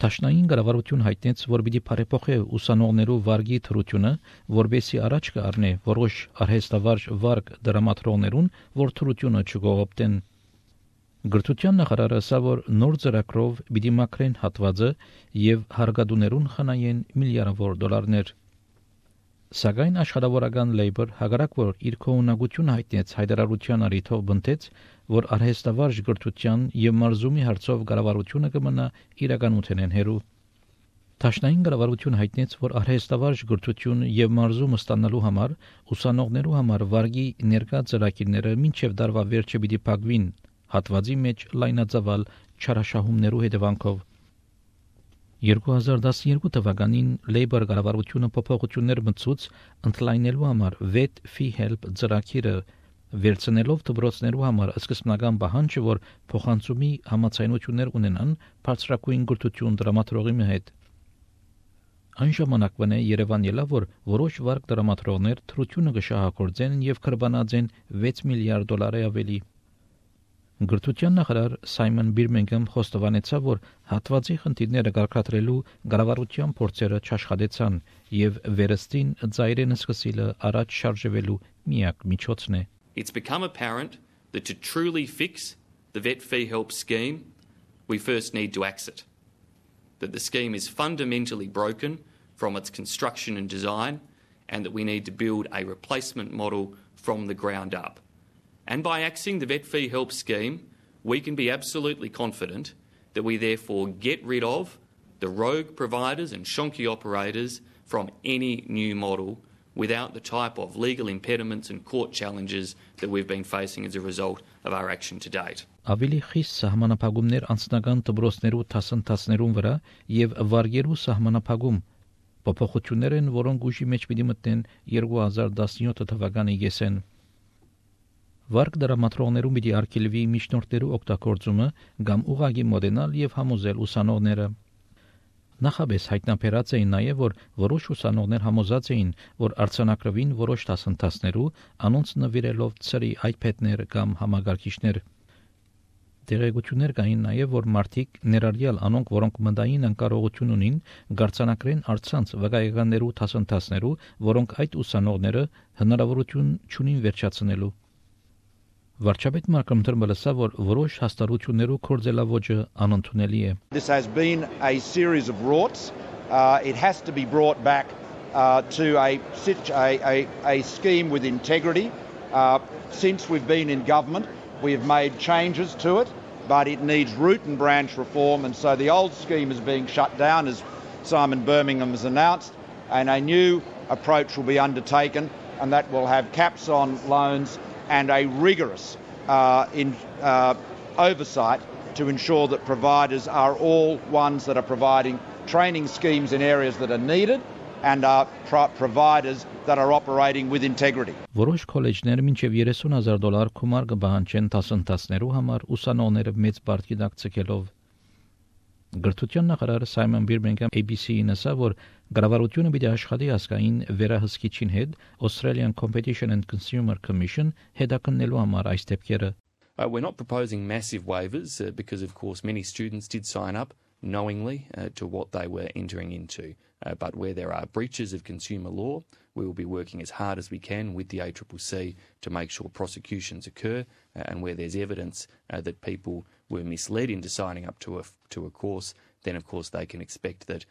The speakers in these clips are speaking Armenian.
Տաշնային կառավարություն հայտնեց, որ պիտի բարեփոխի ուսանողներու վարգի թրությունը, որբեսի առաջ կառնի որոշ արհեստավարժ վարգ դրամատրոններուն, որ թրությունը չկողոպտեն։ Գրթության նախարարը ասա, որ նոր ծրագրով պիտի մաքրեն հատվածը եւ հարգադուներուն խնայեն միլիարդավոր դոլարներ։ Սակայն աշխատավորական Labour հագարակ որ իր կողմնակությունը հայտնեց հայտարարության առիթով բնտեց, որ արհեստավարժ գրթության եւ մարզումի հարցով կառավարությունը կմնա իրականութենեն հերու։ Տաշնային կառավարությունը հայտնեց, որ արհեստավարժ գրթություն եւ մարզում ստանալու համար ուսանողներու համար վարգի ներկա ծրագիրները մինչեւ դարվա վերջը պիտի փակվին, հատվածի մեջ լայնածավալ չարաշահումներու հետևանքով։ 2012 թվականին Labour կառավարությունը փոփոխություններ մտցուց ընդլայնելու համար VET Fee Help ծրագիրը վերցնելով դպրոցներու համար սկզբնական պահանջը, որ փոխանցումի համաձայնություններ ունենան բարձրակույն գրթություն դրամատրողի հետ։ Այն ժամանակվան Երևան ելավ, որ որոշ վարկ դրամատրողներ թրությունը կշահագործեն եւ կրբանացեն 6 միլիարդ դոլարի ավելի։ Գրթության նախարար Սայմոն Բիրմինգհամ խոստովանեցավ, որ հատվածի խնդիրները կարգադրելու կառավարության փորձերը չաշխատեցան եւ վերստին ծայրենը սկսիլը առաջ շարժվելու միակ միջոցն է։ It's become apparent that to truly fix the Vet Fee Help scheme, we first need to axe it. That the scheme is fundamentally broken from its construction and design, and that we need to build a replacement model from the ground up. And by axing the Vet Fee Help scheme, we can be absolutely confident that we therefore get rid of the rogue providers and shonky operators from any new model without the type of legal impediments and court challenges that we've been facing as a result of our action to date. Ավելի խիստ սահմանափակումներ անձնական դպրոցներու դասընթացներուն վրա եւ վարգերու սահմանափակում փոփոխություններ են, որոնք ուժի մեջ պիտի մտնեն 2017 թվականի եսեն։ Վարկ դրամատրողներու պիտի արգելվի միջնորդներու օգտագործումը կամ ուղղակի մոդենալ եւ համոզել ուսանողները։ Նախաբես հայտնաբերած էին նաև, որ որոշ ուսանողներ համոզած էին, որ արձանագրվին որոշ դասընթացներու անոնց նվիրելով ծրի iPad-ներ կամ համագարկիչներ։ Տեղեկություններ կային նաև, որ մարդիկ ներառյալ անոնք, որոնք մտային անկարողություն ունին, գարցանակրեն արցանց վկայականներու դասընթացներու, որոնք այդ ուսանողները հնարավորություն չունին վերջացնելու։ Վարչապետ Մարկոմ Թերմելը ասա, որ որոշ հաստատություններու կորձելավոճը անընդունելի է։ This has been a series of rorts. It has to be brought back to a scheme with integrity. Since we've been in government, we have made changes to it, but it needs root and branch reform, and so the old scheme is being shut down, as Simon Birmingham has announced, and a new approach will be undertaken, and that will have caps on loans and a rigorous oversight to ensure that providers are all ones that are providing training schemes in areas that are needed and are providers that are operating with integrity. Որոշ քոլեջներ մինչև $30,000 գումար կբահանջեն դասընթացներու համար ուսանողները մեծ բարձի տակ ցկելով։ Գրթության նախարար Սայմոն Բիրմինգհամ ABC-ին ասա, որ կառավարությունը պիտի աշխատի ասկային վերահսկիչին հետ Australian Competition and Consumer Commission հետաքննելու համար այս դեպքերը։ We're not proposing massive waivers because, of course, many students did sign up knowingly to what they were entering into. But where there are breaches of consumer law, we will be working as hard as we can with the ACCC to make sure prosecutions occur, and where there's evidence that people were misled into signing up to a course, then of course they can expect that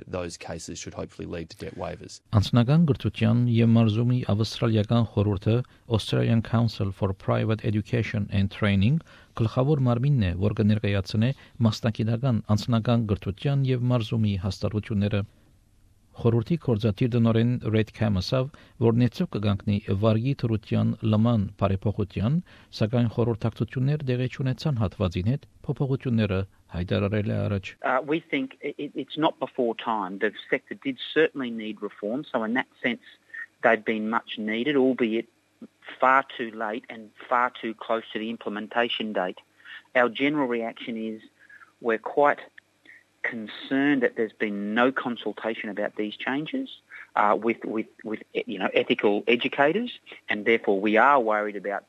those cases should hopefully lead to debt waivers. Անձնական գրթության եւ մարզումի ավստրալիական խորհուրդը Australian Council for Private Education and Training գլխավոր մարմինն է, որ կներկայացնի մասնակիտական անձնական գրթության եւ մարզումի հաստատությունները։ Խորհրդի կորզատիր դնորեն Red Cam-ասավ, որ նեցով կգանքնի վարգի թրության լման բարեփոխության, սակայն խորհրդակցություններ դեղի չունեցան հատվածին հետ փոփոխությունները հայտարարել է առաջ։ We think it's not before time. The sector did certainly need reform, so in that sense they've been much needed, albeit far too late and far too close to the implementation date. Our general reaction is we're quite concerned that there's been no consultation about these changes with ethical educators, and therefore we are worried about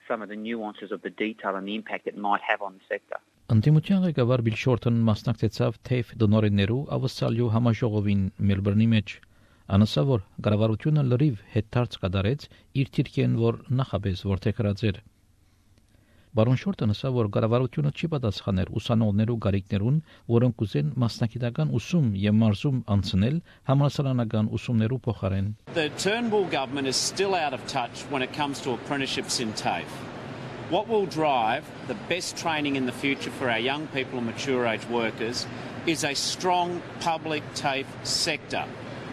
some of the nuances of the detail and the impact it might have on the sector. Ընդդիմության ղեկավար Բիլ Շորթոնը մասնակցեցավ TAFE դոնորեններու ավսալյու համաժողովին Մելբուրնի մեջ։ Անասա որ կառավարությունը լրիվ հետարց կդարեց իր թիրքեն որ նախաբես որթեքրած էր։ Բարոն Շորթոնը ասա որ կառավարությունը չի պատասխաներ ուսանողներու գարիկներուն, որոնք ուզեն մասնակիտական ուսում եւ մարզում անցնել համալսարանական ուսումներու փոխարեն։ The Turnbull government is still out of touch when it comes to apprenticeships in TAFE. What will drive the best training in the future for our young people and mature age workers is a strong public TAFE sector.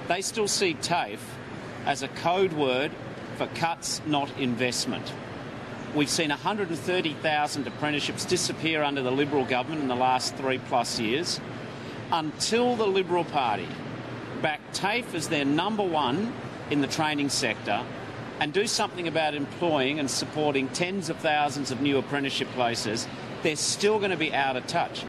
They still see TAFE as a code word for cuts, not investment. We've seen 130,000 apprenticeships disappear under the Liberal government in the last 3+ years. Until the Liberal Party back TAFE as their number one in the training sector and do something about employing and supporting tens of thousands of new apprenticeship places, they're still going to be out of touch.